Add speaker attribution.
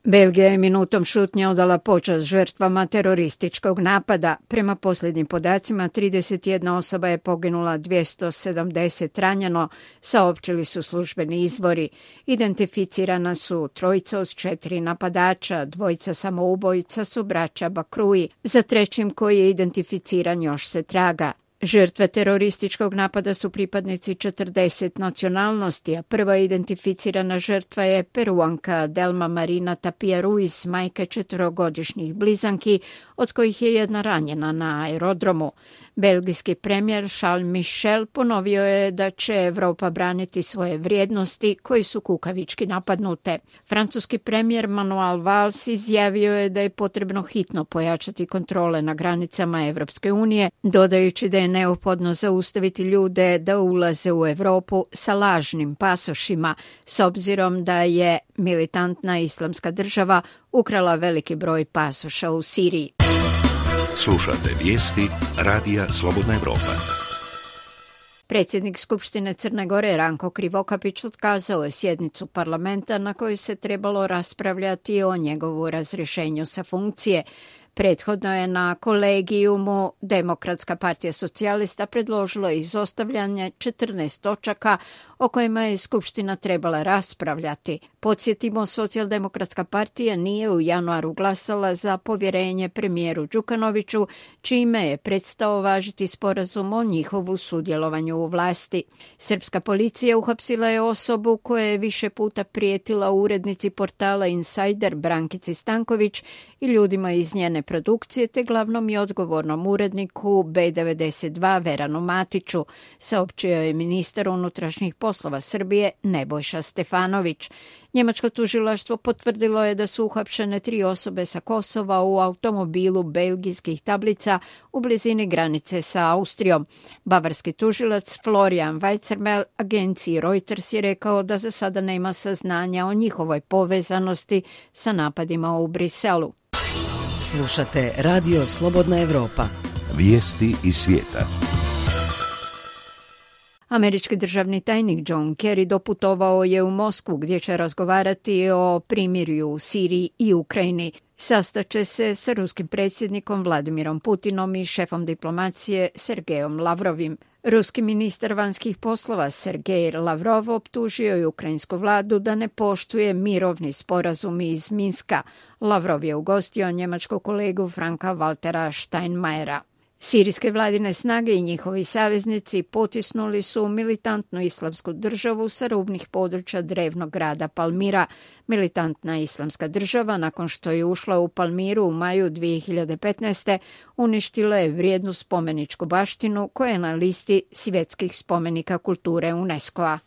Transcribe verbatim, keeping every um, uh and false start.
Speaker 1: Belgija je minutom šutnje odala počast žrtvama terorističkog napada. Prema posljednjim podacima, trideset jedna osoba je poginula, dvjesto sedamdeset ranjeno, saopćili su službeni izvori. Identificirana su trojica od četiri napadača, dvojica samoubojica su braća Bakruji. Za trećim koji je identificiran još se traga. Žrtve terorističkog napada su pripadnici četrdeset nacionalnosti, a prva identificirana žrtva je Peruanka Delma Marina Tapia Ruiz, majka četverogodišnjih blizanki, od kojih je jedna ranjena na aerodromu. Belgijski premijer Charles Michel ponovio je da će Europa braniti svoje vrijednosti koji su kukavički napadnute. Francuski premijer Manuel Valls izjavio je da je potrebno hitno pojačati kontrole na granicama Evropske unije, dodajući da je neophodno zaustaviti ljude da ulaze u Europu sa lažnim pasošima, s obzirom da je militantna islamska država ukrala veliki broj pasoša u Siriji.
Speaker 2: Slušate vijesti Radija Slobodna Evropa.
Speaker 1: Predsjednik Skupštine Crne Gore Ranko Krivokapić otkazao je sjednicu parlamenta na kojoj se trebalo raspravljati o njegovu razrješenju sa funkcije. Prethodno je na kolegijumu Demokratska partija socijalista predložila izostavljanje četrnaest točaka o kojima je Skupština trebala raspravljati. Podsjetimo, Socijaldemokratska partija nije u januaru glasala za povjerenje premijeru Đukanoviću, čime je prestao važiti sporazum o njihovu sudjelovanju u vlasti. Srpska policija uhapsila je osobu koja je više puta prijetila urednici portala Insider Brankici Stanković i ljudima iz njene produkcije te glavnom i odgovornom uredniku B devedeset dva Veranu Matiću, saopćio je ministar unutrašnjih poslova Srbije Nebojša Stefanović. Njemačko tužilaštvo potvrdilo je da su uhapšene tri osobe sa Kosova u automobilu belgijskih tablica u blizini granice sa Austrijom. Bavarski tužilac Florian Weizermel agenciji Reuters je rekao da za sada nema saznanja o njihovoj povezanosti sa napadima u Briselu.
Speaker 3: Slušate Radio Slobodna Evropa.
Speaker 2: Vijesti iz svijeta.
Speaker 1: Američki državni tajnik John Kerry doputovao je u Moskvu gdje će razgovarati o primirju u Siriji i Ukrajini. Sastaće se sa ruskim predsjednikom Vladimirom Putinom i šefom diplomacije Sergejom Lavrovim. Ruski ministar vanjskih poslova Sergej Lavrov optužio je ukrajinsku vladu da ne poštuje mirovni sporazum iz Minska. Lavrov je ugostio njemačkog kolegu Franka Waltera Steinmeiera. Sirijske vladine snage i njihovi saveznici potisnuli su militantnu islamsku državu sa rubnih područja drevnog grada Palmira. Militantna islamska država, nakon što je ušla u Palmiru u maju dvije hiljade petnaeste. uništila je vrijednu spomeničku baštinu koja je na listi svjetskih spomenika kulture UNESCO-a.